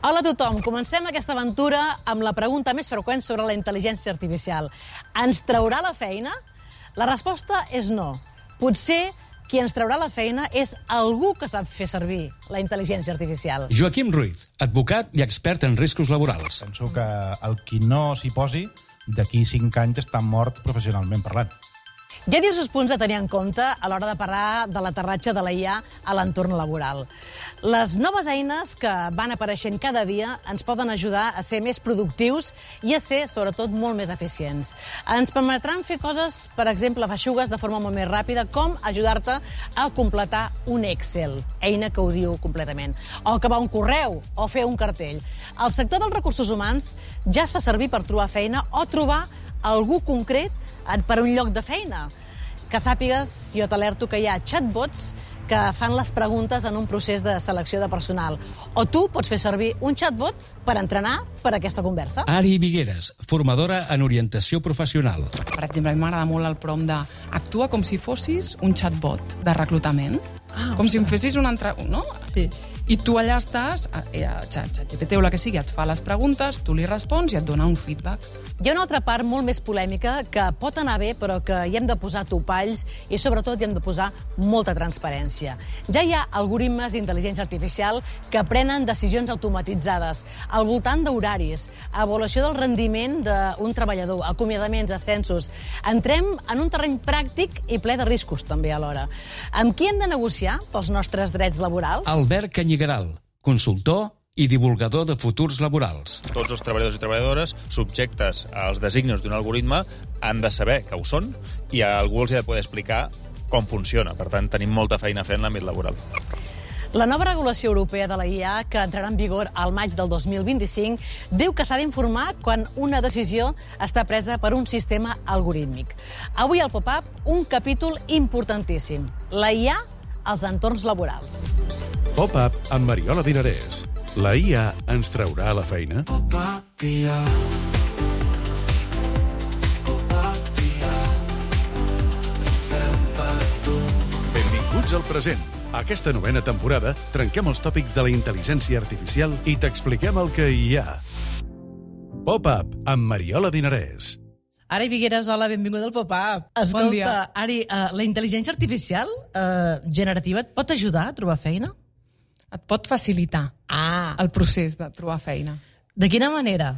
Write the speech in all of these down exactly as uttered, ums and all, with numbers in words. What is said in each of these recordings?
Hola a tothom, comencem aquesta aventura amb la pregunta més freqüent sobre la intel·ligència artificial. Ens traurà la feina? La resposta és no. Potser qui ens traurà la feina és algú que sap fer servir la intel·ligència artificial. Joaquim Ruiz, advocat i expert en riscos laborals. Penso que el qui no s'hi posi, d'aquí cinc anys està mort professionalment parlant. Hi ha diversos punts a tenir en compte a l'hora de parlar de l'aterratge de la I A a l'entorn laboral. Les noves eines que van apareixent cada dia ens poden ajudar a ser més productius i a ser, sobretot, molt més eficients. Ens permetran fer coses, per exemple, feixugues de forma molt més ràpida, com ajudar-te a completar un Excel, eina que ho diu completament, o acabar un correu, o fer un cartell. El sector dels recursos humans ja es fa servir per trobar feina o trobar algú concret per un lloc de feina. Que sàpigues, jo t'alerto que hi ha chatbots que fan les preguntes en un procés de selecció de personal. O tu pots fer servir un chatbot per entrenar per aquesta conversa. Ari Vigueras, formadora en orientació professional. Per exemple, a mi m'agrada molt el prompt de actua com si fossis un chatbot de reclutament. Ah, com si em fessis una altra... No? Sí. I tu allà estàs, ChatGPT o la que sigui, et fa les preguntes, tu li respons i et dona un feedback. Hi ha una altra part molt més polèmica que pot anar bé, però que hi hem de posar topalls i, sobretot, hi hem de posar molta transparència. Ja hi ha algoritmes d'intel·ligència artificial que prenen decisions automatitzades al voltant d'horaris, avaluació del rendiment d'un treballador, acomiadaments, ascensos. Entrem en un terreny pràctic i ple de riscos, també, alhora. Amb qui hem de negociar pels nostres drets laborals? Albert Canyigaral, consultor i divulgador de futurs laborals. Tots els treballadors i treballadores subjectes als designis d'un algoritme han de saber que ho són i algú els ha de poder explicar com funciona. Per tant, tenim molta feina a fer en l'àmbit laboral. La nova regulació europea de la I A, que entrarà en vigor al maig del dos mil vint-i-cinc, diu que s'ha d'informar quan una decisió està presa per un sistema algorítmic. Avui al Pop-up, un capítol importantíssim. La I A als entorns laborals. Pop-up amb Mariola Dinarès. La I A ens traurà la feina? Benvinguts al present. Aquesta novena temporada trenquem els tòpics de la intel·ligència artificial i t'expliquem el que hi ha. Pop-up amb Mariola Dinarès. Ari Vigueras, hola, benvingut al Pop-up. Escolta, bon dia. Ari, uh, la intel·ligència artificial uh, generativa et pot ajudar a trobar feina? Et pot facilitar Ah. el procés de trobar feina. De quina manera?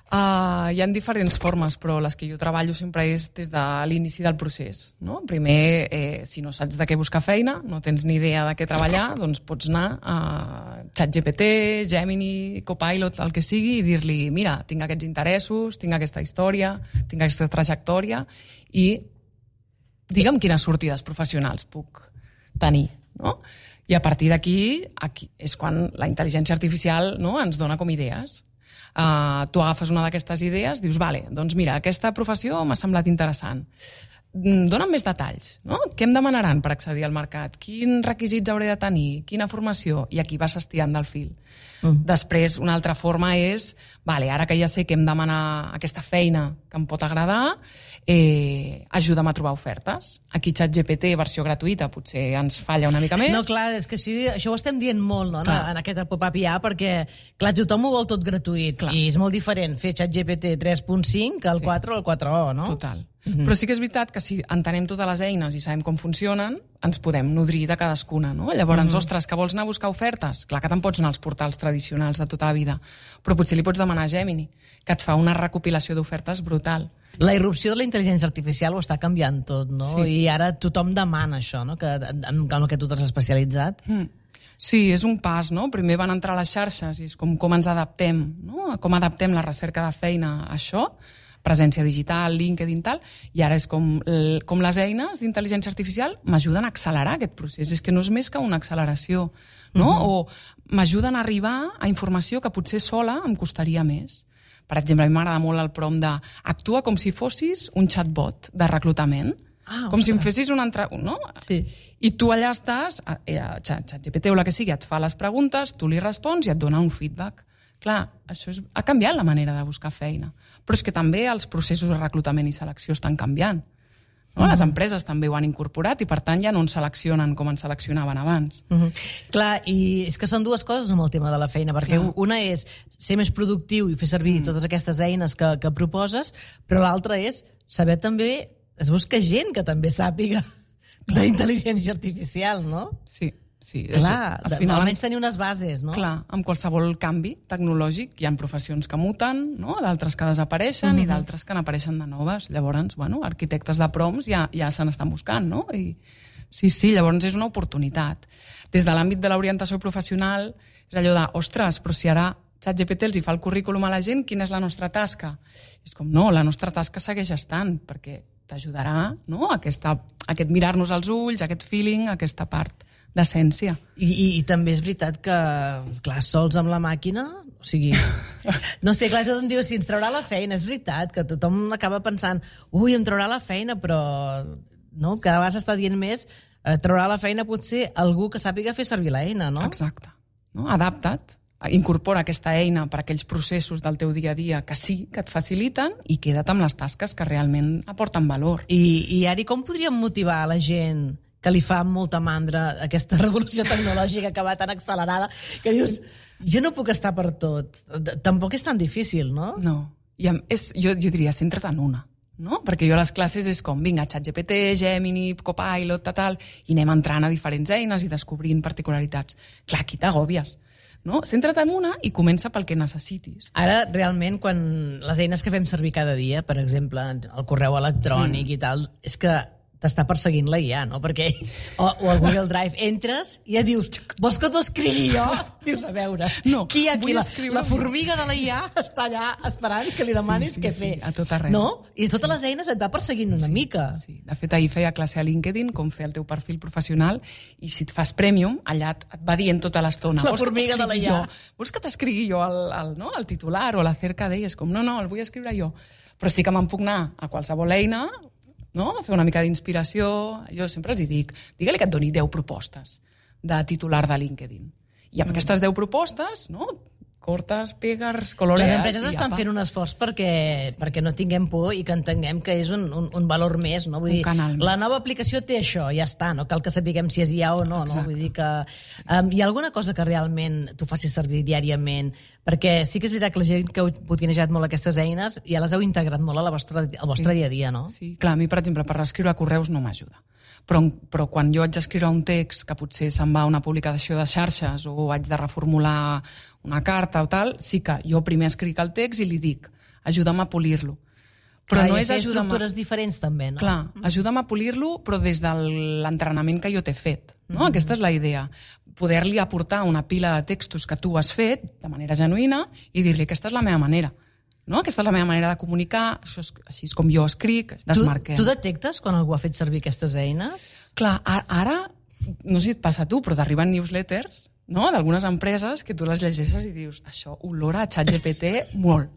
Uh, hi ha diferents formes, però les que jo treballo sempre és des de l'inici del procés. No? Primer, eh, si no saps de què buscar feina, no tens ni idea de què treballar, doncs pots anar a ChatGPT, Gemini, Copilot, el que sigui, i dir-li, mira, tinc aquests interessos, tinc aquesta història, tinc aquesta trajectòria, i digue'm quines sortides professionals puc tenir, no? I a partir d'aquí aquí és quan la intel·ligència artificial, no, ens dona com idees. Uh, tu agafes una d'aquestes idees, dius, vale, doncs mira, aquesta professió m'ha semblat interessant. Dóna'm més detalls, no? Què em demanaran per accedir al mercat? Quins requisits hauré de tenir? Quina formació? I aquí vas estirant del fil. Mm. Després, una altra forma és, vale, ara que ja sé que em demana aquesta feina que em pot agradar, eh, ajuda'm a trobar ofertes. Aquí ChatGPT, versió gratuïta, potser ens falla una mica més. No, clar, és que sí, això ho estem dient molt, no?, en aquest Pop-up I A, perquè, clar, tothom ho vol tot gratuït, clar. I és molt diferent fer ChatGPT tres punt cinc que el sí. quatre o el quatre o, no? Total. Mm-hmm. Però sí que és veritat que si entenem totes les eines i sabem com funcionen, ens podem nodrir de cadascuna, no? Llavors, mm-hmm. ostres, que vols anar a buscar ofertes? Clar que te'n pots anar als portals tradicionals de tota la vida, però potser li pots demanar a Gemini, que et fa una recopilació d'ofertes brutal. La irrupció de la intel·ligència artificial ho està canviant tot, no? Sí. I ara tothom demana això, no?, que, en, en el que tu t'has especialitzat. Mm. Sí, és un pas, no? Primer van entrar les xarxes i és com, com ens adaptem, no? Com adaptem la recerca de feina a això, presència digital, LinkedIn, tal, i ara és com, com les eines d'intel·ligència artificial m'ajuden a accelerar aquest procés. És que no és més que una acceleració, no? Uh-huh. O m'ajuden a arribar a informació que potser sola em costaria més. Per exemple, a mi m'agrada molt el prompt de actua com si fossis un chatbot de reclutament. Ah, com si em fessis una altra... No? Sí. I tu allà estàs, ChatGPT o la que sigui, et fa les preguntes, tu li respons i et dona un feedback. Clar, això és, ha canviat la manera de buscar feina. Però és que també els processos de reclutament i selecció estan canviant. No? Les empreses també ho han incorporat i, per tant, ja no en seleccionen com en seleccionaven abans. Uh -huh. Clar, i és que són dues coses amb el tema de la feina, perquè Clar. una és ser més productiu i fer servir mm. totes aquestes eines que, que proposes, però l'altra és saber també, es busca gent que també sàpiga d'intel·ligència artificial, no? Sí. Sí, clar, al final, almenys tenir unes bases, no? Clar, amb qualsevol canvi tecnològic hi ha professions que muten, no? D'altres que desapareixen uh-huh. i d'altres que n'apareixen de noves. Llavors, bueno, arquitectes de prompts ja, ja se n'estan buscant, no? I, sí, sí, llavors és una oportunitat. Des de l'àmbit de l'orientació professional, és allò de, ostres, però si ara ChatGPT els hi fa el currículum a la gent, quina és la nostra tasca? És com, no, la nostra tasca segueix estant, perquè t'ajudarà, no? Aquesta, aquest mirar-nos als ulls, aquest feeling, aquesta part d'essència. I, i, I també és veritat que, clar, sols amb la màquina, o sigui, no sé, clar, tothom diu, si ens traurà la feina, és veritat, que tothom acaba pensant, ui, em traurà la feina, però no, cada vegada s'està dient més, eh, traurà la feina potser algú que sàpiga fer servir l'eina, no? Exacte. No? Adapta't, incorpora aquesta eina per a aquells processos del teu dia a dia que sí, que et faciliten, i queda't amb les tasques que realment aporten valor. I, i Ari, com podríem motivar a la gent que li fa molta mandra aquesta revolució tecnològica que va tan accelerada, que dius, jo no puc estar per tot. Tampoc és tan difícil, no? No. I és, jo, jo diria, centra't en una. No? Perquè jo a les classes és com, vinga, ChatGPT, Gemini, Copilot, tal, i anem entrant a diferents eines i descobrint particularitats. Clar, aquí t'agòbies. No? Centra't en una i comença pel que necessitis. Ara, realment, quan les eines que fem servir cada dia, per exemple, el correu electrònic mm. i tal, és que t'està perseguint la I A, no? Perquè, o, o el Google Drive, entres i ja dius, vols que t'ho escrigui jo? Dius, a veure, no, qui aquí, la, la formiga de la I A està allà esperant que li demanis sí, sí, què sí, fer. A tot arreu. No? I totes sí. les eines et va perseguint una sí, mica. Sí. De fet, ahir feia classe a LinkedIn, com fer el teu perfil professional, i si et fas Premium, allà et va dient tota l'estona. La formiga de la I A. Jo? Vols que t'escrigui jo el, el, no? el titular o la cerca d'ell? És com, no, no, el vull escriure jo. Però sí que me'n puc anar a qualsevol eina, no? Fer una mica d'inspiració. Jo sempre els hi dic, digue-li que et doni deu propostes de titular de LinkedIn. I amb mm. aquestes deu propostes, no? Cortes, pegues, colorees... Les empreses estan fent un esforç perquè, sí. perquè no tinguem por i que entenguem que és un, un, un valor més, no? Vull un dir, canal la més. Nova aplicació té això, ja està, no cal que sapiguem si és I A o no, no? Vull dir que um, hi ha alguna cosa que realment tu facis servir diàriament, perquè sí que és veritat que la gent que heu botinejat molt aquestes eines ja les heu integrat molt a la vostra, al vostre sí. dia a dia, no? Sí, clar, a mi, per exemple, per reescriure correus no m'ajuda. Però, però quan jo haig d'escriure un text que potser se'n va a una publicació de xarxes o haig de reformular una carta o tal, sí que jo primer escric el text i li dic, ajuda'm a polir-lo. Però clar, no és és ajuda'm... estructures diferents també, no? Clar, ajuda'm a polir-lo, però des de l'entrenament que jo t'he fet. No? Mm-hmm. Aquesta és la idea. Poder-li aportar una pila de textos que tu has fet de manera genuïna i dir-li, aquesta és la meva manera. No? Aquesta és la meva manera de comunicar, això és, així és com jo escric, desmarquem. Tu, tu detectes quan algú ha fet servir aquestes eines? Clar, ara, no sé si et passa a tu, però t'arriben newsletters, no?, d'algunes empreses que tu les llegeixes i dius, això olora a ChatGPT molt.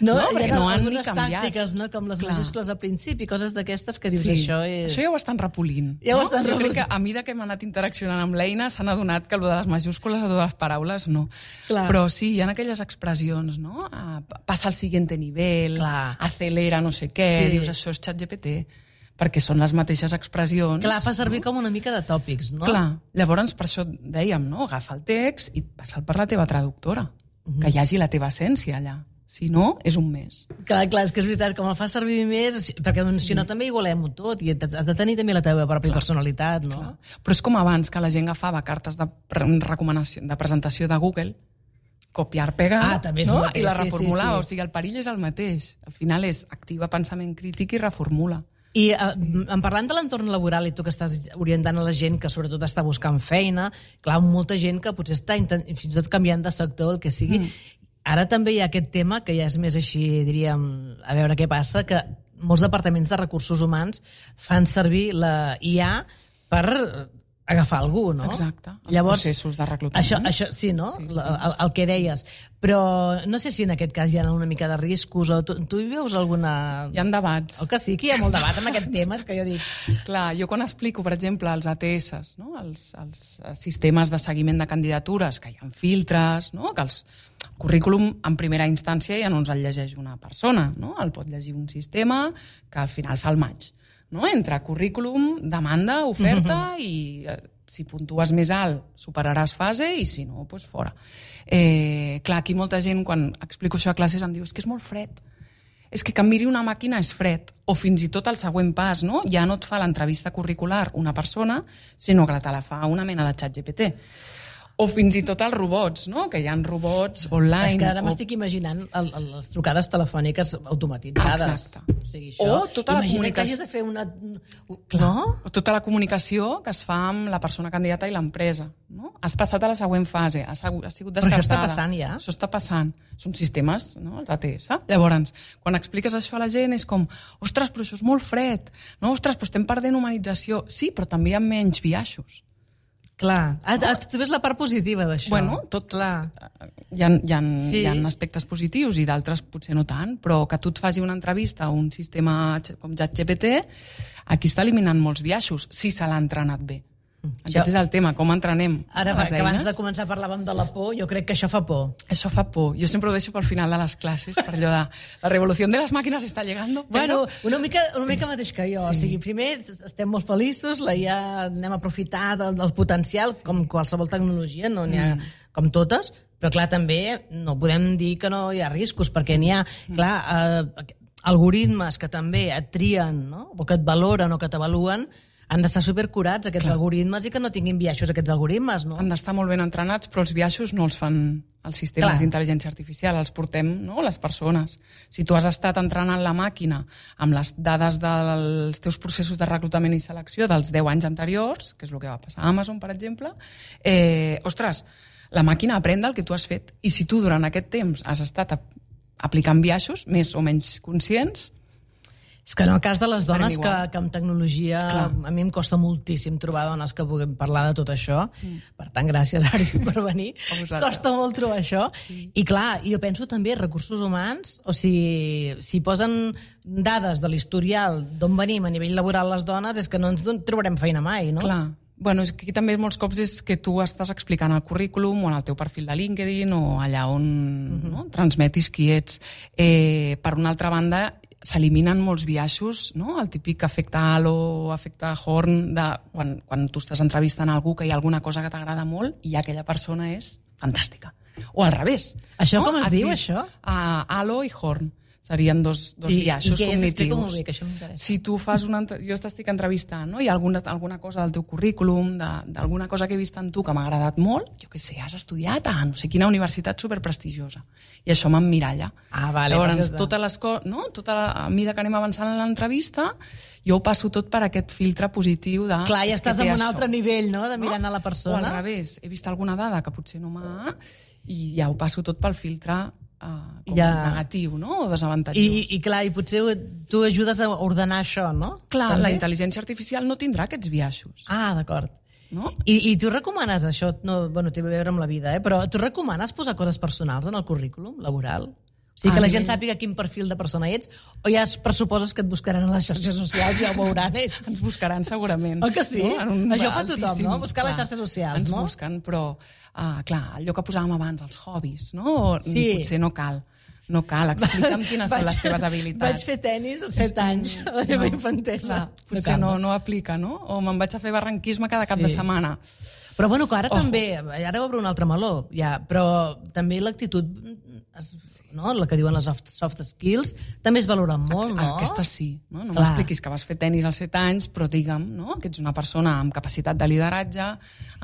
No, no? Perquè no han ni algunes canviat. tàctiques, no?, com les Clar. majúscules al principi, coses d'aquestes que dius, sí. això és... Això ja ho estan repolint. Ja ho no? estan jo repolint. crec que a mesura que hem anat interaccionant amb l'eina s'han adonat que el de les majúscules a totes les paraules no. Clar. Però sí, hi ha aquelles expressions, no? Ah, passa al siguiente nivel, Clar. acelera no sé què, Sí. dius, això és ChatGPT, perquè són les mateixes expressions. Clar, fa servir no? com una mica de tòpics, no? Clar, llavors per això dèiem, no? Agafa el text i passa'l per la teva traductora, uh-huh. que hi hagi la teva essència allà. Si no, és un mes. Clar, clar, és que és veritat, com el fa servir més, perquè doncs, sí. si no també igualem-ho tot, i has de tenir també la teva pròpia clar. personalitat, no? Clar. Però és com abans, que la gent agafava cartes de recomanació, de presentació de Google, copiar, pegar, ah, també és no? mateix, i la sí, reformulava. sí, sí. O sigui, el perill és el mateix. Al final és activa pensament crític i reformula. I uh, en parlant de l'entorn laboral i tu que estàs orientant a la gent que sobretot està buscant feina, clar, molta gent que potser està intent... fins i tot canviant de sector, el que sigui. Mm. Ara també hi ha aquest tema que ja és més així, diríem, a veure què passa, que molts departaments de recursos humans fan servir la I A per agafar algú, no? Exacte, els Llavors, processos de reclutament. Això, això, sí, no? Sí, sí, el, el que deies. Però no sé si en aquest cas hi ha una mica de riscos, o tu, tu hi veus alguna... Hi ha debats. El que sí, que hi ha molt debat amb aquest tema, és que jo dic... Clar, jo quan explico, per exemple, els A T S, no? els, els sistemes de seguiment de candidatures, que hi ha filtres, no? Que els el currículum en primera instància ja no ens el llegeix una persona, no? El pot llegir un sistema que al final fa el match. no? Entre currículum, demanda, oferta uh-huh. i eh, si puntues més alt superaràs fase i si no, doncs fora. Eh, clar, aquí molta gent, quan explico això a classes, em diu és que és molt fred. És que que em miri una màquina és fred. O fins i tot el següent pas, no? Ja no et fa l'entrevista curricular una persona, sinó que te la fa una mena de xat G P T. O fins i tot els robots, no? Que hi ha robots online. És que ara o... m'estic imaginant el, el, les trucades telefòniques automatitzades. Exacte. O sigui, això, o tota la comunicació... que hagis de fer una... Clar. No? O tota la comunicació que es fa amb la persona candidata i l'empresa. No? Has passat a la següent fase, has, has sigut descartada. Però això està passant ja? Això està passant. Són sistemes, no? Els A T S. Llavors, quan expliques això a la gent és com, ostres, però això és molt fred. No? Ostres, però estem perdent humanització. Sí, però també hi ha menys biaixos. Clar, ah, ah, tu ves la part positiva d'això. Bueno, tot clar. Hi ha, hi ha, sí. hi ha aspectes positius i d'altres potser no tant, però que tu et faci una entrevista a un sistema com ChatGPT, aquí està eliminant molts biaixos, si se l'ha entrenat bé. Aquest això... és el tema, com entrenem Ara, les que eines. abans de començar parlàvem de la por, jo crec que això fa por. Això fa por. Jo sempre ho deixo pel final de les classes, per allò de la revolució de les màquines està llegando. Bueno, però... una, mica, una mica mateix que jo. Sí. O sigui, primer estem molt feliços, la I A anem a aprofitar del, del potencial, sí. com qualsevol tecnologia, no n'hi ha mm. com totes, però clar, també no podem dir que no hi ha riscos, perquè n'hi ha, mm. clar, eh, algoritmes que també et trien, no? O que et valoren o que t'avaluen, han d'estar supercurats aquests Clar. algoritmes i que no tinguin biaixos aquests algoritmes, no? Han d'estar molt ben entrenats, però els biaixos no els fan els sistemes d'intel·ligència artificial, els portem, no?, les persones. Si tu has estat entrenant la màquina amb les dades dels teus processos de reclutament i selecció dels deu anys anteriors, que és el que va passar a Amazon, per exemple, eh, ostres, la màquina aprèn del que tu has fet. I si tu durant aquest temps has estat aplicant biaixos, més o menys conscients, és que en el cas de les dones, que, que amb tecnologia Clar. a mi em costa moltíssim trobar dones que puguem parlar de tot això. Mm. Per tant, gràcies, Ari, per venir. Costa molt trobar això. Sí. I clar, jo penso també recursos humans, o sigui, si posen dades de l'historial d'on venim a nivell laboral les dones, és que no ens trobarem feina mai, no? Clar. Bueno, és que aquí també molts cops és que tu estàs explicant el currículum o en el teu perfil de LinkedIn o allà on uh-huh. no, transmetis qui ets. Eh, per una altra banda, s'eliminen molts biaixos, no? El típic efecte halo, efecte horn, de quan, quan tu estàs entrevistant algú que hi ha alguna cosa que t'agrada molt i aquella persona és fantàstica. O al revés. Això no? com es Has diu, vist? això? Uh, halo i horn. Serien dos, dos I, biaixos i què és? cognitius. Explica molt bé, que això m'interessa. Si tu fas una... Jo t'estic entrevistant, no? Hi ha alguna, alguna cosa del teu currículum, d'alguna cosa que he vist en tu que m'ha agradat molt, jo què sé, has estudiat a no sé quina universitat superprestigiosa. I això m'emmiralla. Ah, vale. Llavors, totes les coses, no? Tota la, a mesura que anem avançant en l'entrevista, jo ho passo tot per aquest filtre positiu de... Clar, ja estàs en un això. altre nivell, no?, de mirant no? a la persona. O al revés, he vist alguna dada que potser no m'ha... i ja ho passo tot pel filtre Uh, com ja. negatiu, no? O desavantatjós. I, i clar, i potser tu ajudes a ordenar això, no? Clar, també? La intel·ligència artificial no tindrà aquests biaixos. Ah, d'acord. No? I, I tu recomanes això, no, bueno, té a veure amb la vida, eh? Però tu recomanes posar coses personals en el currículum laboral? O sigui, que la gent sàpiga quin perfil de persona ets, o ja pressuposes que et buscaran a les xarxes socials i ja ho veuran ells? Ens buscaran segurament. Oh, que sí? No? Això fa tothom, no? Buscar clar, les xarxes socials, ens no? Ens busquen, però, uh, clar, allò que posàvem abans, els hobbies, no? Sí. Potser no cal. No cal, explica'm quines vaig, són les teves habilitats. Vaig fer tenis als set anys, a la meva no, infantesa. Clar, potser no, no aplica, no? O me'n vaig a fer barranquisme cada cap sí. de setmana. Però bueno, que ara Ojo. també, ara obre un altre meló, ja, però també l'actitud, no? La que diuen les soft, soft skills, també es valoren molt, no? Aquesta sí, no? No m'expliquis que vas fer tenis als set anys, però digue'm, no? Que ets una persona amb capacitat de lideratge,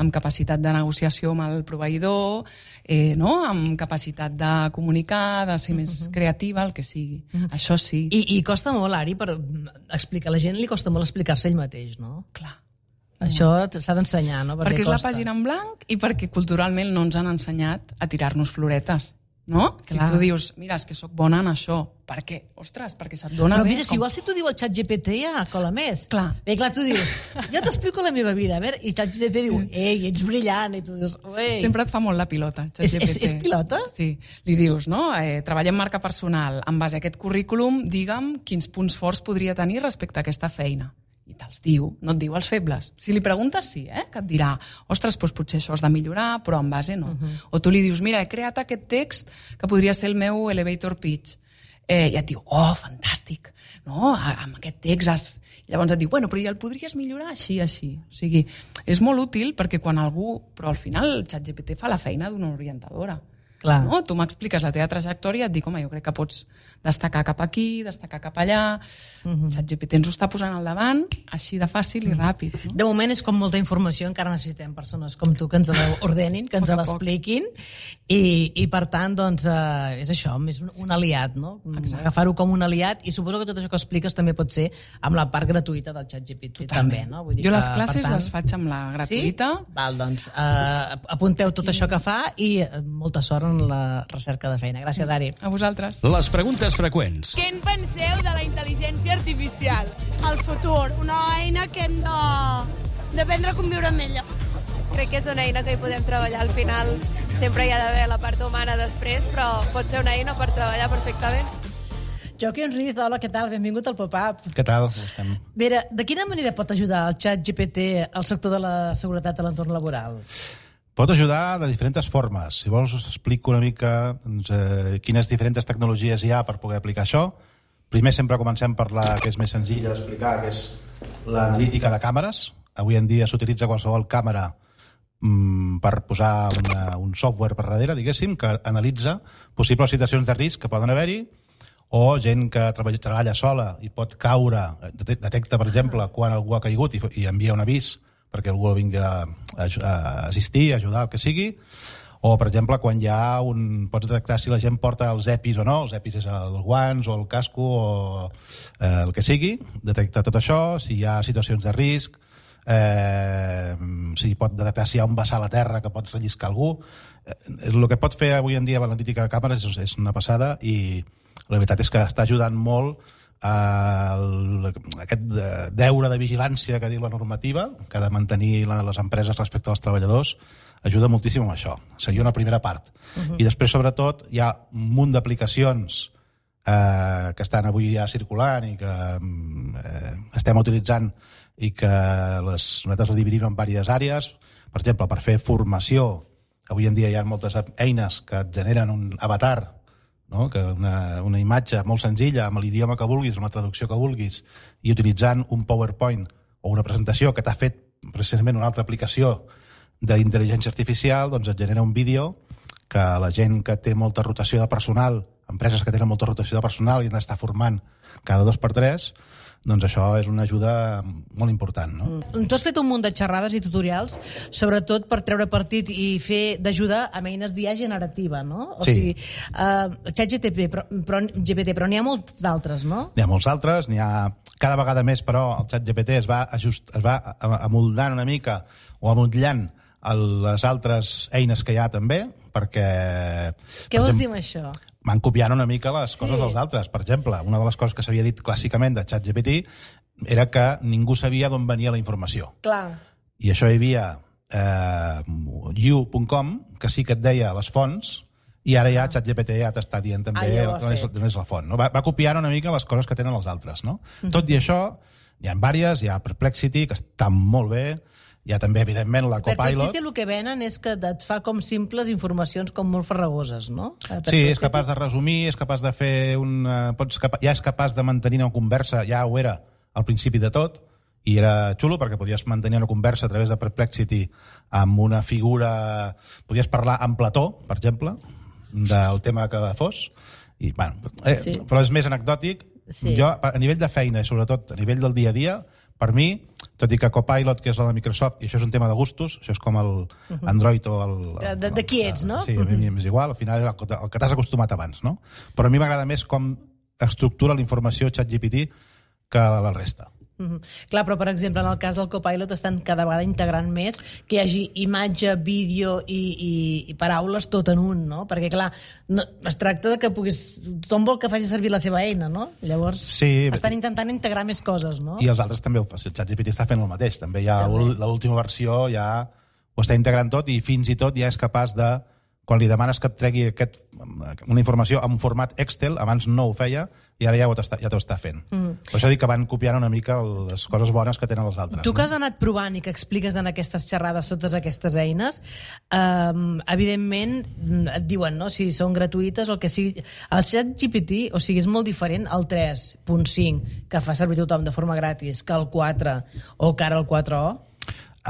amb capacitat de negociació amb el proveïdor, eh, no? Amb capacitat de comunicar, de ser més uh-huh. creativa, el que sigui. Uh-huh. Això sí. I, I costa molt, Ari, per explicar, a la gent li costa molt explicar-se ell mateix, no? Clar. Això s'ha d'ensenyar, no? Perquè, perquè és costa. la pàgina en blanc i perquè culturalment no ens han ensenyat a tirar-nos floretes. No? Clar. Si tu dius, mira, és que sóc bona en això. Per què? Ostres, perquè se't dona però bé. Però mira, com... si igual si tu diu el ChatGPT ja cola més. Clar. Bé, clar, tu dius, jo t'explico la meva vida, a veure, i ChatGPT diu, ei, ets brillant, i tu dius, ei. Sempre et fa molt la pilota, ChatGPT. És, és, és pilota? Sí. Li dius, no? Eh, treballa en marca personal. En base a aquest currículum, digue'm quins punts forts podria tenir respecte a aquesta feina. I te'ls diu, no et diu els febles. Si li preguntes, sí, eh? Que et dirà, ostres, doncs potser això has de millorar, però en base no. Uh-huh. O tu li dius, mira, he creat aquest text que podria ser el meu elevator pitch. eh, i et diu, oh, fantàstic, no? Amb aquest text has... Llavors et diu, bueno, però ja el podries millorar així, així. O sigui, és molt útil perquè quan algú... Però al final el ChatGPT fa la feina d'una orientadora. Clar. No? Tu m'expliques la teva trajectòria i et dic, home, jo crec que pots destacar cap aquí, destacar cap allà... Uh-huh. ChatGPT ens ho està posant al davant, així de fàcil i ràpid. No? De moment és com molta informació, encara necessitem persones com tu que ens l'ordenin, que ens l'expliquin, i, i per tant, doncs, eh, és això, és un, un aliat, no? Agafar-ho com un aliat, i suposo que tot això que expliques també pot ser amb la part gratuïta del ChatGPT també, no? Vull dir jo que, les classes tant... les faig amb la gratuïta. Sí? Val, doncs, eh, apunteu tot sí. això que fa i molta sort sí. en la recerca de feina. Gràcies, Ari. A vosaltres. Les preguntes freqüents. Què en penseu de la intel·ligència artificial? El futur, una eina que hem de d'aprendre a conviure amb ella. Crec que és una eina que hi podem treballar. Al final sempre hi ha d'haver la part humana després, però pot ser una eina per treballar perfectament. Joaquim Riz, hola, què tal? Benvingut al Pop-Up. Què tal? Estem... Vera, de quina manera pot ajudar el ChatGPT al sector de la seguretat a l'entorn laboral? Pot ajudar de diferents formes. Si vols us explico una mica doncs, eh, quines diferents tecnologies hi ha per poder aplicar això. Primer sempre comencem per la que és més senzilla d'explicar, que és l'analítica de càmeres. Avui en dia s'utilitza qualsevol càmera mm, per posar una, un software per darrere, diguéssim, que analitza possibles situacions de risc que poden haver-hi, o gent que treballa, treballa sola i pot caure, detecta, per exemple, quan algú ha caigut i, i envia un avís perquè algú vingui a, a, a assistir, a ajudar, el que sigui. O, per exemple, quan hi ha un... Pots detectar si la gent porta els EPIs o no, els EPIs és els guants o el casco o eh, el que sigui, detecta tot això, si hi ha situacions de risc, eh, si pot detectar si hi ha un vessar a la terra que pot relliscar algú. Eh, el que pot fer avui en dia l'analítica de càmeres és, és una passada i la veritat és que està ajudant molt a aquest deure de vigilància que diu la normativa, que ha de mantenir les empreses respecte als treballadors, ajuda moltíssim amb això. Seria una primera part. Uh-huh. I després, sobretot, hi ha un munt d'aplicacions eh, que estan avui ja circulant i que eh, estem utilitzant i que les, nosaltres ho dividim en diverses àrees. Per exemple, per fer formació, avui en dia hi ha moltes eines que et generen un avatar, no? Que una, una imatge molt senzilla, amb l'idioma que vulguis, amb la traducció que vulguis, i utilitzant un PowerPoint o una presentació que t'ha fet precisament una altra aplicació d'intel·ligència artificial, doncs et genera un vídeo que la gent que té molta rotació de personal, empreses que tenen molta rotació de personal i han d'estar formant cada dos per tres, doncs això és una ajuda molt important. No? Mm. Tu has fet un munt de xerrades i tutorials, sobretot per treure partit i fer d'ajudar amb eines d'I A generativa, no? O sí. sigui, uh, ChatGPT, però, però, G P T, però n'hi ha molts d'altres, no? N'hi ha molts altres, n'hi ha cada vegada més, però el ChatGPT es va, ajust, es va amoldant una mica o amotlant les altres eines que hi ha també, perquè... Què vols dir amb això? Van copiant una mica les coses sí. dels altres. Per exemple, una de les coses que s'havia dit clàssicament de ChatGPT era que ningú sabia d'on venia la informació. Clar. I això hi havia eh, you punt com, que sí que et deia les fonts, i ara ja ChatGPT ja t'està dient també ah, ja on és, on és la font. No? Va, va copiant una mica les coses que tenen els altres. No? Mm-hmm. Tot i això, hi ha diverses, hi ha Perplexity, que està molt bé, hi ha també, evidentment, la Copilot. Perplexity el que venen és que et fa com simples informacions com molt farragoses, no? Sí, és capaç de resumir, és capaç de fer un... Pots capa... Ja és capaç de mantenir una conversa, ja ho era al principi de tot, i era xulo perquè podies mantenir una conversa a través de Perplexity amb una figura... Podies parlar amb Plató, per exemple, del tema que fos, i, bueno, eh, sí. però és més anecdòtic. Sí. Jo, a nivell de feina i sobretot a nivell del dia a dia, per mi, tot i que Copilot, que és la de Microsoft, i això és un tema de gustos, això és com el Android o el... De, de, de qui ets, no? Sí, a mi m'és igual, al final és el, el que t'has acostumat abans, no? Però a mi m'agrada més com estructura la informació ChatGPT que la resta. Mm-hmm. Clar, però per exemple en el cas del Copilot estan cada vegada integrant més que hi hagi imatge, vídeo i, i, i paraules tot en un, no? Perquè clar, no, es tracta de que puguis... Tothom vol que faci servir la seva eina, no? Llavors sí, estan intentant integrar més coses, no? I els altres també, el ChatGPT està fent el mateix, també hi ha l'última versió, ja ho està integrant tot i fins i tot ja és capaç de quan li demanes que et tregui aquest, una informació en format Excel, abans no ho feia, i ara ja ho està, ja t'ho està fent. Mm. Per això dic que van copiant una mica les coses bones que tenen les altres. Tu que has anat provant i que expliques en aquestes xerrades totes aquestes eines, eh, evidentment et diuen, no?, si són gratuïtes o el que sigui. El ChatGPT, o sigui, és molt diferent al tres punt cinc, que fa servir tothom de forma gratis, que el quatre o que ara el quatre o?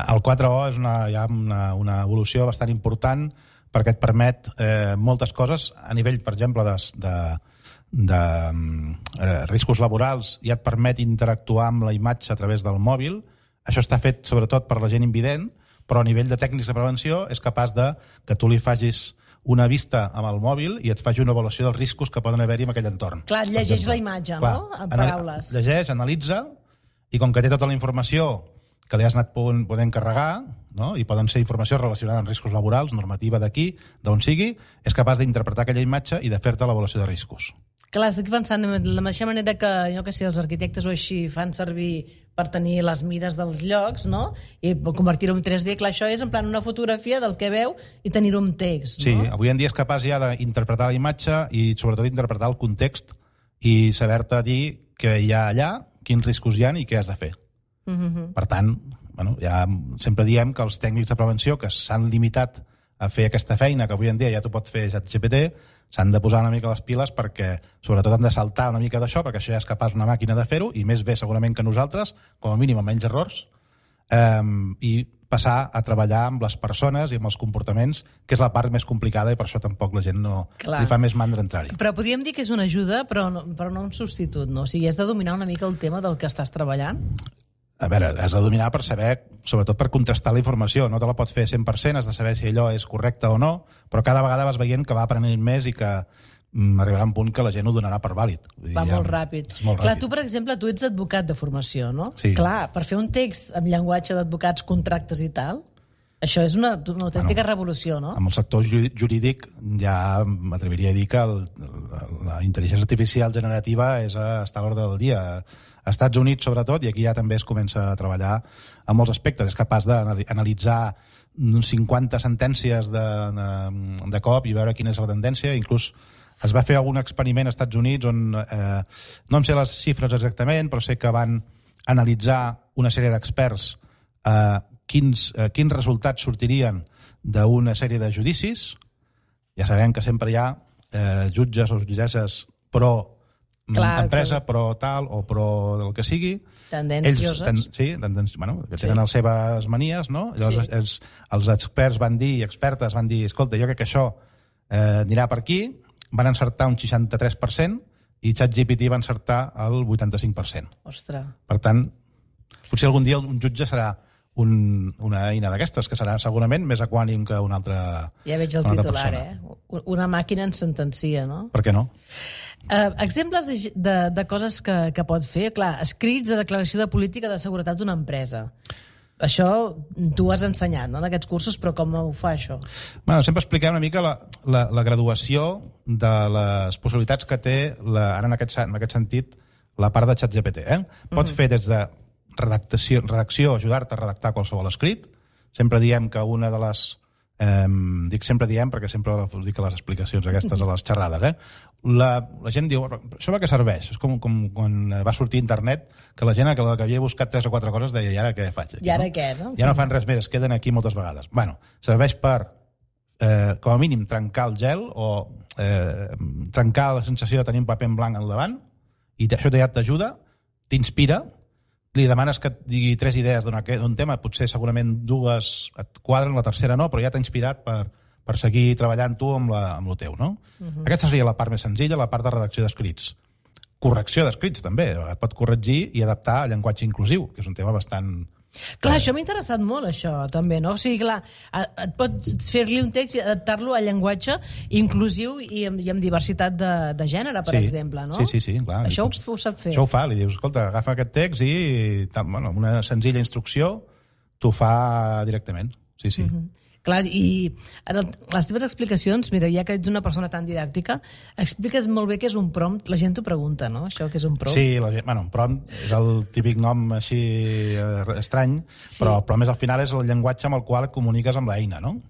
El quatre o és una, ja una, una evolució bastant important perquè et permet eh, moltes coses a nivell, per exemple, de, de, de eh, riscos laborals, i et permet interactuar amb la imatge a través del mòbil. Això està fet sobretot per la gent invident, però a nivell de tècnics de prevenció és capaç de que tu li facis una vista amb el mòbil i et faci una avaluació dels riscos que poden haver-hi en aquell entorn. Clar, et llegeix la imatge, Clar, no?, en paraules. Llegeix, analitza, i com que té tota la informació que li has anat podent carregar, no?, i poden ser informació relacionada amb riscos laborals, normativa d'aquí, d'on sigui, és capaç d'interpretar aquella imatge i de fer-te l'avaluació de riscos. Clar, estic pensant de la mateixa manera que, jo que sé, els arquitectes o així fan servir per tenir les mides dels llocs, no?, i convertir-ho en tres D. Clar, això és en plan una fotografia del que veu i tenir-ho en text, no? Sí, avui en dia és capaç ja d'interpretar la imatge i sobretot d'interpretar el context i saber-te dir què hi ha allà, quins riscos hi ha i què has de fer. Mm-hmm. Per tant, bueno, ja sempre diem que els tècnics de prevenció que s'han limitat a fer aquesta feina, que avui en dia ja t'ho pot fer ChatGPT, s'han de posar una mica les piles perquè, sobretot, han de saltar una mica d'això, perquè això ja és capaç una màquina de fer-ho, i més bé segurament que nosaltres, com a mínim amb menys errors, eh, i passar a treballar amb les persones i amb els comportaments, que és la part més complicada, i per això tampoc la gent no Clar. li fa més mandra entrar-hi. Però podríem dir que és una ajuda, però no, però no un substitut, no? O sigui, has de dominar una mica el tema del que estàs treballant? A veure, has de dominar per saber, sobretot per contrastar la informació. No te la pots fer cent per cent, has de saber si allò és correcte o no, però cada vegada vas veient que va aprenent més i que mm, arribarà un punt que la gent ho donarà per vàlid. Va ja, molt ràpid. Molt Clar, ràpid. tu, per exemple, tu ets advocat de formació, no? Sí. Clar, per fer un text amb llenguatge d'advocats, contractes i tal, això és una, una autèntica bueno, revolució, no? Amb el sector jurídic ja m'atreviria a dir que el, la intel·ligència artificial generativa és a estar a l'ordre del dia. A Estats Units, sobretot, i aquí ja també es comença a treballar en molts aspectes. És capaç d'analitzar cinquanta sentències de, de, de cop i veure quina és la tendència. Inclús es va fer algun experiment als Estats Units on, eh, no em sé les xifres exactament, però sé que van analitzar una sèrie d'experts eh, quins, eh, quins resultats sortirien d'una sèrie de judicis. Ja sabem que sempre hi ha eh, jutges o jutgesses pro Clar, empresa, que... pro tal o pro del que sigui. Tendencioses. Ells, ten, sí, tendènci, bueno, que tenen sí. les seves manies, no? Llavors sí. els, els experts van dir, i expertes van dir, escolta, jo crec que això eh, anirà per aquí, van encertar un seixanta-tres per cent i ChatGPT va encertar el vuitanta-cinc per cent. Ostres. Per tant, potser algun dia un jutge serà un, una eina d'aquestes, que serà segurament més equànim que una altra Ja veig el titular, persona. eh? Una màquina en sentencia, no? Per què no? Uh, exemples de, de, de coses que, que pot fer. Clar, escrits de declaració de política de seguretat d'una empresa. Això tu has ensenyat, no?, en aquests cursos, però com ho fa, això? Bueno, sempre expliquem una mica la, la, la graduació de les possibilitats que té, la, ara en aquest, en aquest sentit, la part de ChatGPT. Eh? Pots mm. fer des de redactació, redacció, ajudar-te a redactar qualsevol escrit. Sempre diem que una de les... Eh, dic sempre diem perquè sempre dic a les explicacions aquestes a les xerrades, eh? La, la gent diu, això per què serveix? És com, com quan va sortir internet, que la gent que, que havia buscat tres o quatre coses deia, i ara què faig aquí? I ara no? què, no? Ja no fan res més, es queden aquí moltes vegades. Bueno, serveix per, eh, com a mínim, trencar el gel o eh, trencar la sensació de tenir un paper en blanc al davant, i això ja t'ajuda, t'inspira, li demanes que et digui tres idees d'un tema, potser segurament dues et quadren, la tercera no, però ja t'ha inspirat per, per seguir treballant tu amb, la, amb el teu, no? Uh-huh. Aquesta seria la part més senzilla, la part de redacció d'escrits. Correcció d'escrits, també. Et pot corregir i adaptar a llenguatge inclusiu, que és un tema bastant... Clar, això m'ha interessat molt, això, també, no? O sigui, clar, et pots fer-li un text i adaptar-lo a llenguatge inclusiu i amb, i amb diversitat de, de gènere, per sí, exemple, no? Sí, sí, sí, clar. Això ho, ho sap fer. Això ho fa, li dius, escolta, agafa aquest text i bueno, una senzilla instrucció t'ho fa directament. Sí, sí. Mm-hmm. Clar, i en el, les teves explicacions, mira, ja que ets una persona tan didàctica, expliques molt bé què és un prompt. La gent t'ho pregunta, no?, això que és un prompt. Sí, la gent, bueno, un prompt és el típic nom així eh, estrany, sí. però, però més al final és el llenguatge amb el qual et comuniques amb l'eina, no?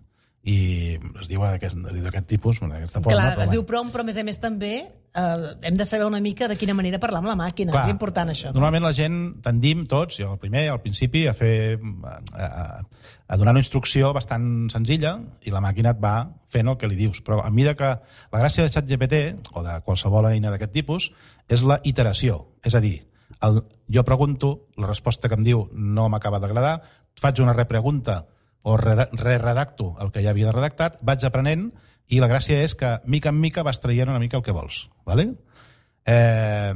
i es diu d'aquest, d'aquest tipus, d'aquesta forma. Clar, però, es diu prompt, però a més a més també eh, hem de saber una mica de quina manera parlar amb la màquina. Clar, és important això. Normalment la gent tendim tots, jo al primer, al principi, a fer a, a, a donar una instrucció bastant senzilla i la màquina et va fent el que li dius. Però a mesura que la gràcia de ChatGPT o de qualsevol eina d'aquest tipus és la iteració. És a dir, el, jo pregunto, la resposta que em diu no m'acaba d'agradar, faig una repregunta o re-redacto el que ja havia redactat, vaig aprenent i la gràcia és que mica en mica vas traient una mica el que vols. ¿Vale? Eh,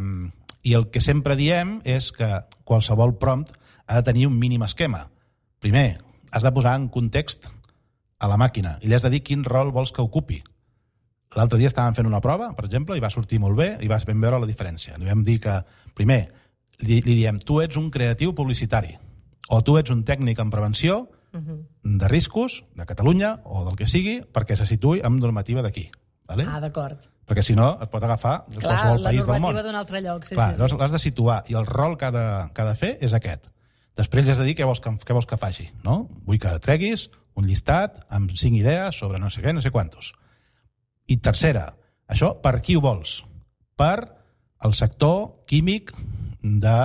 I el que sempre diem és que qualsevol prompt ha de tenir un mínim esquema. Primer, has de posar en context a la màquina i li has de dir quin rol vols que ocupi. L'altre dia estàvem fent una prova, per exemple, i va sortir molt bé i vas ben veure la diferència. Li vam dir que, primer, li, li diem tu ets un creatiu publicitari o tu ets un tècnic en prevenció de riscos de Catalunya o del que sigui perquè se situï amb normativa d'aquí. Vale? Ah, d'acord. Perquè si no et pot agafar de qualsevol país del món. Clar, la normativa d'un altre lloc. Sí, Clar, sí, sí. L'has de situar i el rol que ha de, que ha de fer és aquest. Després li has de dir què vols que, què vols que faci. No? Vull que treguis un llistat amb cinc idees sobre no sé què, no sé quantos. I tercera, això per qui ho vols? Per el sector químic de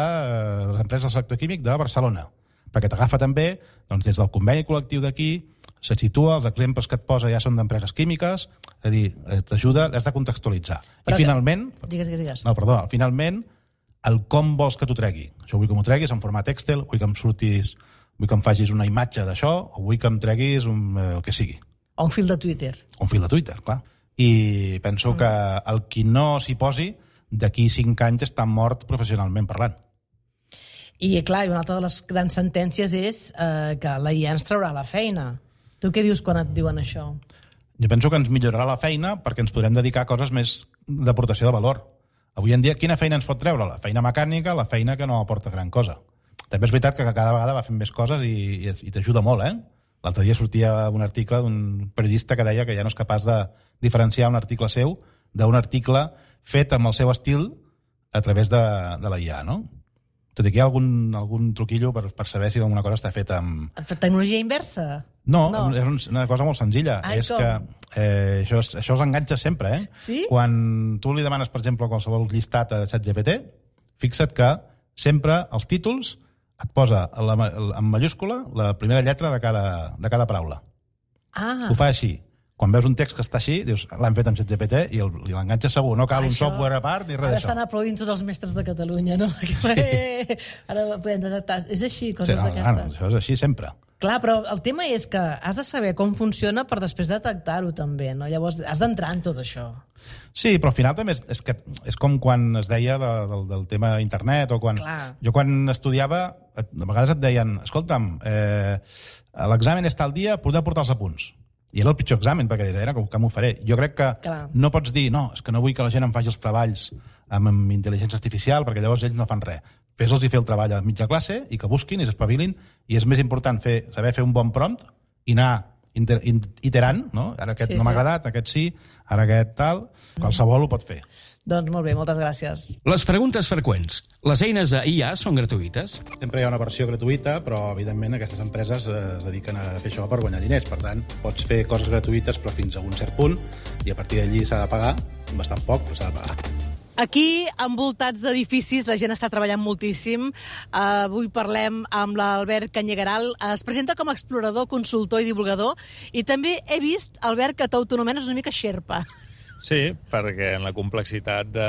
les empreses del sector químic de Barcelona. Perquè t'agafa també, doncs, des del conveni col·lectiu d'aquí, se situa, els exemples que et posa ja són d'empreses químiques, és a dir, t'ajuda, l'has de contextualitzar. Però I finalment... Que... Digues, digues, digues. No, perdó, finalment, el com vols que t'ho tregui. Això vull que m'ho treguis en format Excel, vull que em surtis, vull que em facis una imatge d'això, o vull que em treguis un, eh, el que sigui. O un fil de Twitter. Un fil de Twitter, clar. I penso mm. que el qui no s'hi posi, d'aquí cinc anys està mort professionalment parlant. I, clar, una altra de les grans sentències és eh, que la I A ens traurà la feina. Tu què dius quan et diuen això? Jo penso que ens millorarà la feina perquè ens podrem dedicar a coses més d'aportació de valor. Avui en dia, quina feina ens pot treure? La feina mecànica, la feina que no aporta gran cosa. També és veritat que cada vegada va fent més coses i, i, i t'ajuda molt, eh? L'altre dia sortia un article d'un periodista que deia que ja no és capaç de diferenciar un article seu d'un article fet amb el seu estil a través de, de la I A, no? Tot i que hi ha algun, algun truquillo per, per saber si alguna cosa està feta amb... Tecnologia inversa? No, no. És una cosa molt senzilla. Ai, és com? que eh, això, això els enganxa sempre, eh? Sí? Quan tu li demanes, per exemple, qualsevol llistat a ChatGPT, fixa't que sempre els títols et posa la, en mayúscula la primera lletra de cada, de cada paraula. Ah. Ho fa així. Quan veus un text que està així, dius, l'han fet amb ChatGPT i l'enganxa segur. No cal un això... software a part ni res Ara d'això. estan aplaudint tots els mestres de Catalunya, no? Sí. Ara podem detectar. És així, coses sí, no, d'aquestes. No, això és així sempre. Clar, però el tema és que has de saber com funciona per després detectar-ho també, no? Llavors has d'entrar en tot això. Sí, però al final també és, és, que, és com quan es deia de, del, del tema internet o quan... Clar. Jo quan estudiava, a vegades et deien, escolta'm, eh, l'examen és tal dia, poder portar els apunts. I era el pitjor examen, perquè era com que m'ho faré. Jo crec que Clar. no pots dir, no, és que no vull que la gent em faci els treballs amb, amb intel·ligència artificial, perquè llavors ells no fan res. Fes-los i fer el treball a mitja classe i que busquin i s'espavilin, i és més important fer, saber fer un bon prompt i anar inter, iterant, no? Ara aquest sí, no m'ha sí. agradat, aquest sí, ara aquest tal, qualsevol ho pot fer. Doncs molt bé, moltes gràcies. Les preguntes freqüents. Les eines de I A són gratuïtes? Sempre hi ha una versió gratuïta, però evidentment aquestes empreses es dediquen a fer això per guanyar diners. Per tant, pots fer coses gratuïtes però fins a un cert punt i a partir d'allí s'ha de pagar, bastant poc, però s'ha de pagar. Aquí, envoltats d'edificis, la gent està treballant moltíssim. Uh, avui parlem amb l'Albert Canyegaral. Es presenta com a explorador, consultor i divulgador. I també he vist, Albert, que t'autonomenes una mica xerpa. Sí, perquè en la complexitat de,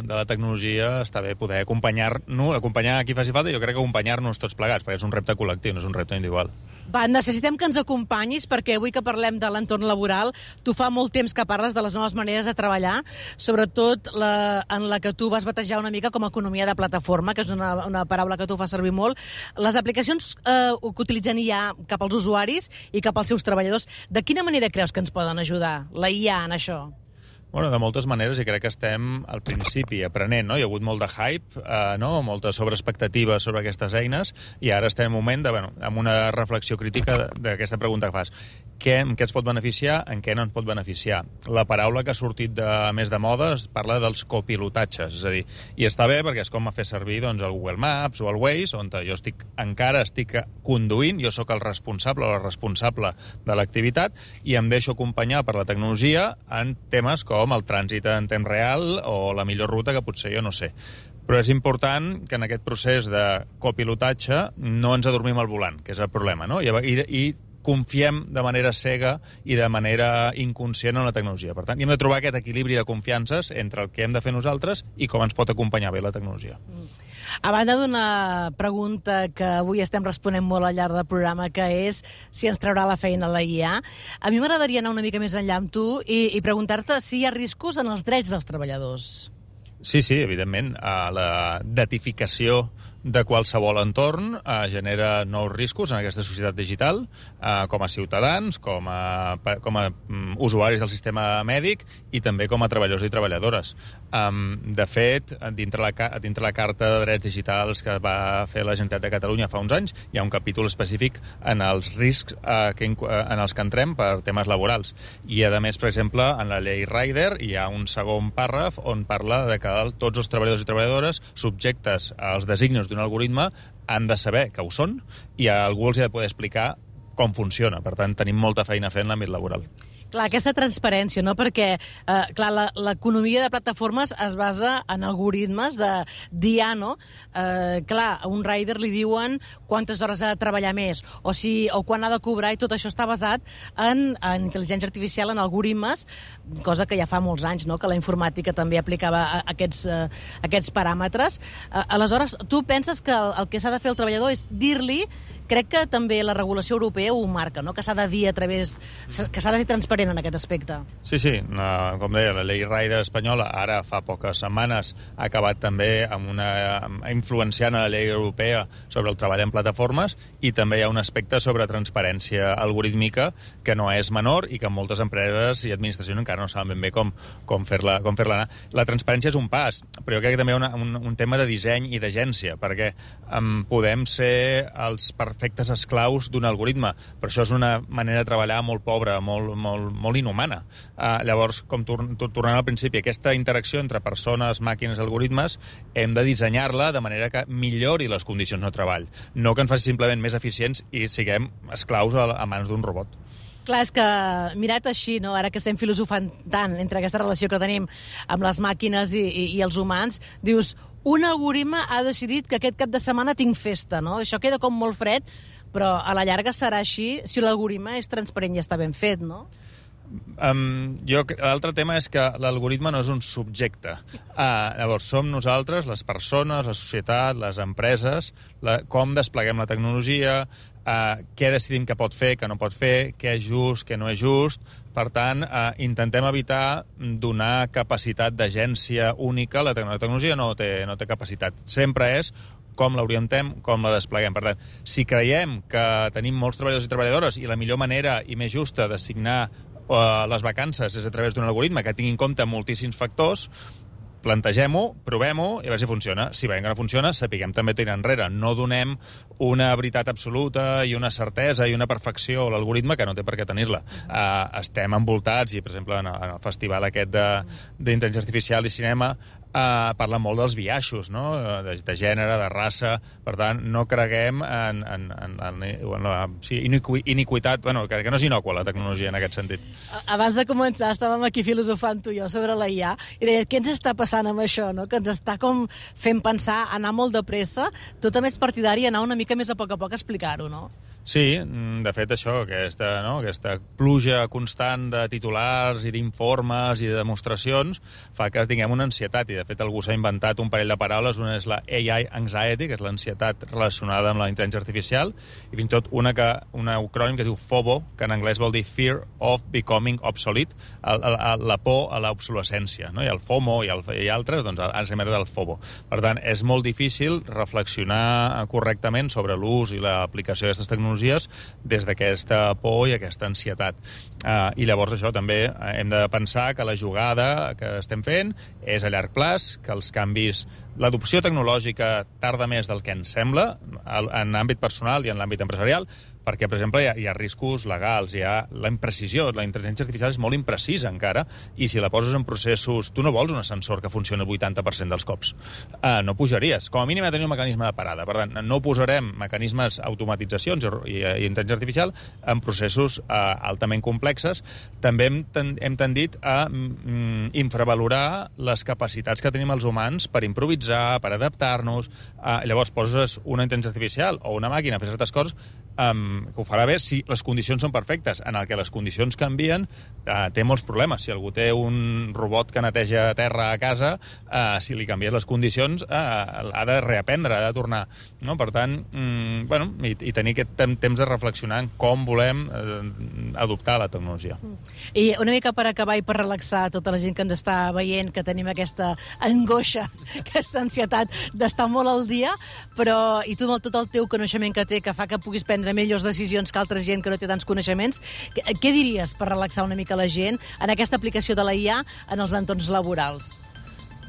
de la tecnologia està bé poder acompanyar-nos, acompanyar a qui faci falta, i jo crec que acompanyar-nos tots plegats, perquè és un repte col·lectiu, no és un repte individual. Va, necessitem que ens acompanyis, perquè avui que parlem de l'entorn laboral, tu fa molt temps que parles de les noves maneres de treballar, sobretot la, en la que tu vas batejar una mica com a economia de plataforma, que és una, una paraula que tu fas servir molt. Les aplicacions eh, que utilitzen I A cap als usuaris i cap als seus treballadors, de quina manera creus que ens poden ajudar la I A en això? Bueno, de moltes maneres, i crec que estem al principi aprenent, no? Hi ha hagut molt de hype, eh, no? Molta sobreexpectativa sobre aquestes eines, i ara estem en un moment de, bueno, amb una reflexió crítica d'aquesta pregunta que fas. Què, en què ens pot beneficiar, en què no ens pot beneficiar? La paraula que ha sortit de, més de moda es parla dels copilotatges, és a dir, i està bé perquè és com a fer servir doncs, el Google Maps o el Waze, on jo estic, encara estic conduint, jo sóc el responsable o la responsable de l'activitat, i em deixo acompanyar per la tecnologia en temes com el trànsit en temps real o la millor ruta que potser jo no sé. Però és important que en aquest procés de copilotatge no ens adormim al volant, que és el problema, no? I, i, i confiem de manera cega i de manera inconscient en la tecnologia. Per tant, hem de trobar aquest equilibri de confiances entre el que hem de fer nosaltres i com ens pot acompanyar bé la tecnologia. A banda d'una pregunta que avui estem responent molt al llarg del programa, que és si ens traurà la feina la I A, a mi m'agradaria anar una mica més enllà amb tu i, i preguntar-te si hi ha riscos en els drets dels treballadors. Sí, sí, evidentment. La datificació de qualsevol entorn eh, genera nous riscos en aquesta societat digital, eh, com a ciutadans, com a, com a um, usuaris del sistema mèdic i també com a treballadors i treballadores. Um, de fet, dintre la, dintre la Carta de Drets Digitals que va fer la Generalitat de Catalunya fa uns anys, hi ha un capítol específic en els riscs eh, que, en els que entrem per temes laborals. I, a més, per exemple, en la llei Rider hi ha un segon pàrraf on parla de que tots els treballadors i treballadores subjectes als designis d'un algoritme han de saber que ho són i a algú els ha de poder explicar com funciona. Per tant, tenim molta feina a fer en l'àmbit laboral. Clar, aquesta transparència, no? Perquè, eh, clar, l'economia de plataformes es basa en algoritmes de dia, no? Eh, clar, a un rider li diuen quantes hores ha de treballar més, o, si, o quan ha de cobrar, i tot això està basat en, en intel·ligència artificial, en algoritmes, cosa que ja fa molts anys, no?, que la informàtica també aplicava aquests, eh, aquests paràmetres. Eh, aleshores, tu penses que el, el que s'ha de fer el treballador és dir-li, crec que també la regulació europea ho marca, no?, que s'ha de dir a través, que s'ha de ser transparent en aquest aspecte. Sí, sí, no, com deia, la llei Rider espanyola ara fa poques setmanes ha acabat també amb una influenciant a la llei europea sobre el treball en plataformes, i també hi ha un aspecte sobre transparència algorítmica que no és menor i que moltes empreses i administracions encara no saben ben bé com, com fer-la com fer-la anar. La transparència és un pas, però jo crec que també hi ha una, un, un tema de disseny i d'agència, perquè um, podem ser els perfectes esclaus d'un algoritme, però això és una manera de treballar molt pobra, molt, molt, molt inhumana. Uh, llavors, com tor tornant al principi, aquesta interacció entre persones, màquines, algoritmes, hem de dissenyar-la de manera que millori les condicions de treball, no que ens faci simplement més eficients i siguem esclaus a, a mans d'un robot. Clar, és que mirat així, no? Ara que estem filosofant tant entre aquesta relació que tenim amb les màquines i, i, i els humans, dius, un algoritme ha decidit que aquest cap de setmana tinc festa, no? Això queda com molt fred, però a la llarga serà així si l'algoritme és transparent i està ben fet, no? Um, jo, l'altre tema és que l'algoritme no és un subjecte. Uh, llavors, som nosaltres, les persones, la societat, les empreses, la, com despleguem la tecnologia, uh, què decidim que pot fer, que no pot fer, què és just, què no és just. Per tant, uh, intentem evitar donar capacitat d'agència única. La tecnologia no té, no té capacitat. Sempre és com l'orientem, com la despleguem. Per tant, si creiem que tenim molts treballadors i treballadores i la millor manera i més justa d'assignar uh, les vacances és a través d'un algoritme que tingui en compte moltíssims factors, plantegem-ho, provem-ho i a veure si funciona. Si veiem que no funciona, sapiguem també tirar enrere. No donem una veritat absoluta i una certesa i una perfecció a l'algoritme que no té per què tenir-la. Uh, estem envoltats, i per exemple en el festival aquest d'intel·ligència artificial i cinema uh, parla molt dels biaixos, no? de, de gènere, de raça. Per tant, no creguem en, en, en, en, en la sí, iniqui, iniquitat, bueno, que, que no és innocua la tecnologia en aquest sentit. Abans de començar estàvem aquí filosofant tu i jo sobre la I A i deia, què ens està passant amb això, no? Que ens està com fent pensar, anar molt de pressa. Tu també ets partidari anar una mica més a poc a poc a explicar-ho, no? Sí, de fet això, aquesta, no, aquesta pluja constant de titulars i d'informes i de demostracions fa que tinguem una ansietat, i de fet algú s'ha inventat un parell de paraules. Una és la A I anxiety, que és l'ansietat relacionada amb la intel·ligència artificial, i fins i tot una que, una acrònim que es diu FOBO, que en anglès vol dir Fear of Becoming Obsolete, el, el, la por a l'obsolescència, no? I el FOMO i, el, i altres, doncs ens hem del FOBO. Per tant, és molt difícil reflexionar correctament sobre l'ús i l'aplicació d'aquestes tecnologies tecnologies des d'aquesta por i aquesta ansietat. Uh, I llavors això també hem de pensar que la jugada que estem fent és a llarg plaç, que els canvis, l'adopció tecnològica tarda més del que ens sembla en l'àmbit personal i en l'àmbit empresarial, perquè, per exemple, hi ha, hi ha riscos legals, hi ha la imprecisió, la intel·ligència artificial és molt imprecisa encara, i si la poses en processos... Tu no vols un ascensor que funcioni el vuitanta per cent dels cops. Uh, no pujaries. Com a mínim ha de tenir un mecanisme de parada. Per tant, no posarem mecanismes, automatitzacions i, i, i intel·ligència artificial en processos uh, altament complexes. També hem, ten, hem tendit a mm, infravalorar les capacitats que tenim els humans per improvisar, per adaptar-nos. Uh, llavors poses una intel·ligència artificial o una màquina a fer certes coses, Um, que ho farà bé si les condicions són perfectes. En el que les condicions canvien, uh, té molts problemes. Si algú té un robot que neteja terra a casa, uh, si li canvies les condicions, uh, ha de reaprendre, ha de tornar. No? Per tant, um, bueno, i, i tenir aquest temps de reflexionar en com volem uh, adoptar la tecnologia. I una mica per acabar i per relaxar tota la gent que ens està veient, que tenim aquesta angoixa, aquesta ansietat d'estar molt al dia, però i tu amb tot el teu coneixement que té, que fa que puguis prendre millors decisions que altra gent que no té tants coneixements, què, què diries per relaxar una mica la gent en aquesta aplicació de la I A en els entorns laborals?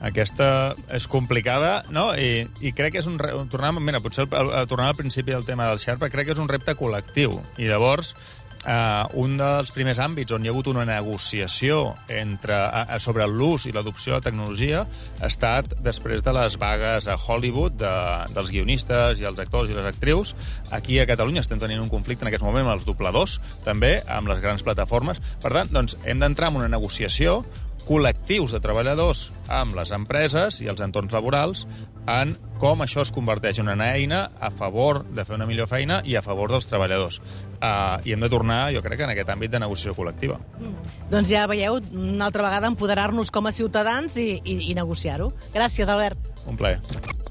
Aquesta és complicada, no? I, i crec que és un... Tornant, mira, potser tornant al principi del tema del Sherpa, crec que és un repte col·lectiu. I llavors, Uh, un dels primers àmbits on hi ha hagut una negociació entre, uh, sobre l'ús i l'adopció de tecnologia ha estat després de les vagues a Hollywood de, dels guionistes i els actors i les actrius. Aquí a Catalunya estem tenint un conflicte en aquest moment amb els dobladors, també, amb les grans plataformes. Per tant, doncs, hem d'entrar en una negociació, col·lectius de treballadors amb les empreses i els entorns laborals en com això es converteix en una eina a favor de fer una millor feina i a favor dels treballadors. Uh, I hem de tornar, jo crec, en aquest àmbit de negociació col·lectiva. Mm. Doncs ja veieu, una altra vegada, empoderar-nos com a ciutadans i, i, i negociar-ho. Gràcies, Albert. Un plaer.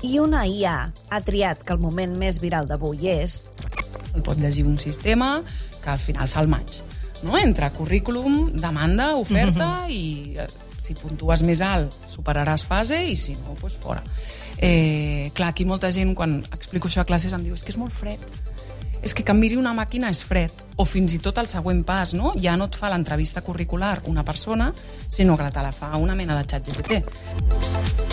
I una I A ha triat que el moment més viral d'avui és... El pot llegir un sistema que al final fa el maig. No? Entre currículum, demanda, oferta, mm-hmm. i eh, si puntues més alt superaràs fase i si no, doncs fora. Eh, clar, aquí molta gent, quan explico això a classes, em diu és que és molt fred. És que que em miri una màquina és fred. O fins i tot el següent pas, no? Ja no et fa l'entrevista curricular una persona, sinó que te la fa una mena de xat G P T.